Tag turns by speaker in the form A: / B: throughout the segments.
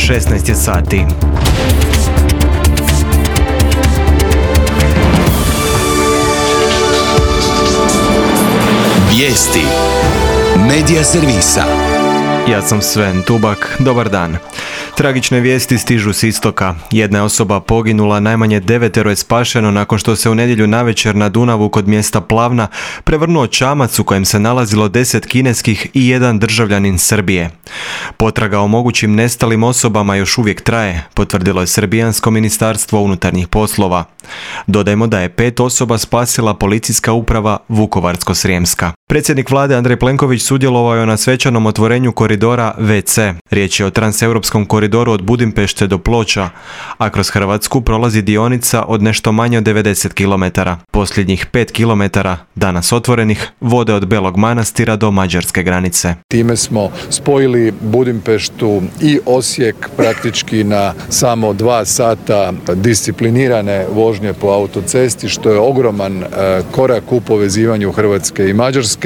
A: 16 je sati.
B: Vijesti Medija servisa.
A: Ja sam Sven Tubak, dobar dan. Tragične vijesti stižu s istoka. Jedna je osoba poginula, najmanje 9 je spašeno nakon što se u nedjelju navečer na Dunavu kod mjesta Plavna prevrnuo čamac u kojem se nalazilo 10 kineskih i jedan državljanin Srbije. Potraga o mogućim nestalim osobama još uvijek traje, potvrdilo je Srbijansko ministarstvo unutarnjih poslova. Dodajmo da je 5 osoba spasila policijska uprava Vukovarsko-srijemska. Predsjednik vlade Andrej Plenković sudjelovao je na svečanom otvorenju koridora VC. Riječ je o transeuropskom koridoru od Budimpešte do Ploča, a kroz Hrvatsku prolazi dionica od nešto manje od 90 km. Posljednjih 5 km, danas otvorenih, vode od Belog Manastira do mađarske granice.
C: Time smo spojili Budimpeštu i Osijek praktički na samo 2 sata disciplinirane vožnje po autocesti, što je ogroman korak u povezivanju Hrvatske i Mađarske.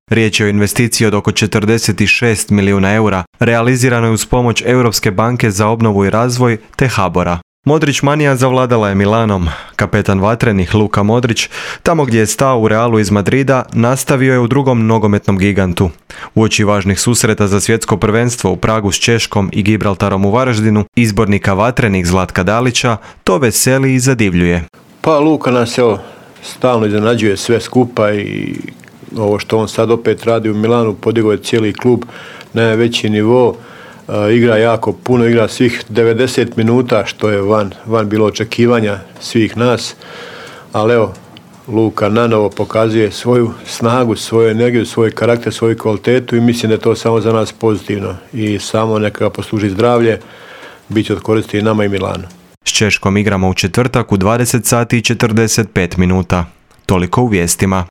A: Riječ je o investiciji od oko 46 milijuna eura, realizirano je uz pomoć Europske banke za obnovu i razvoj te HBOR-a. Modrić manija zavladala je Milanom. Kapetan vatrenih Luka Modrić, tamo gdje je stao u Realu iz Madrida, nastavio je u drugom nogometnom gigantu. Uoči važnih susreta za svjetsko prvenstvo u Pragu s Češkom i Gibraltarom u Varaždinu, izbornika vatrenih Zlatka Dalića to veseli i zadivljuje.
D: Pa Luka nas stalno iznenađuje sve skupa i ovo što on sad opet radi u Milanu, podigao je cijeli klub na najveći nivo, igra jako puno, igra svih 90 minuta što je van bilo očekivanja svih nas, ali evo Luka nanovo pokazuje svoju snagu, svoju energiju, svoj karakter, svoju kvalitetu i mislim da je to samo za nas pozitivno i samo neka ga posluži zdravlje, bit će od koristi i nama i Milanu.
A: S Češkom igramo u četvrtak u 20 sati i 45 minuta. Toliko u vijestima.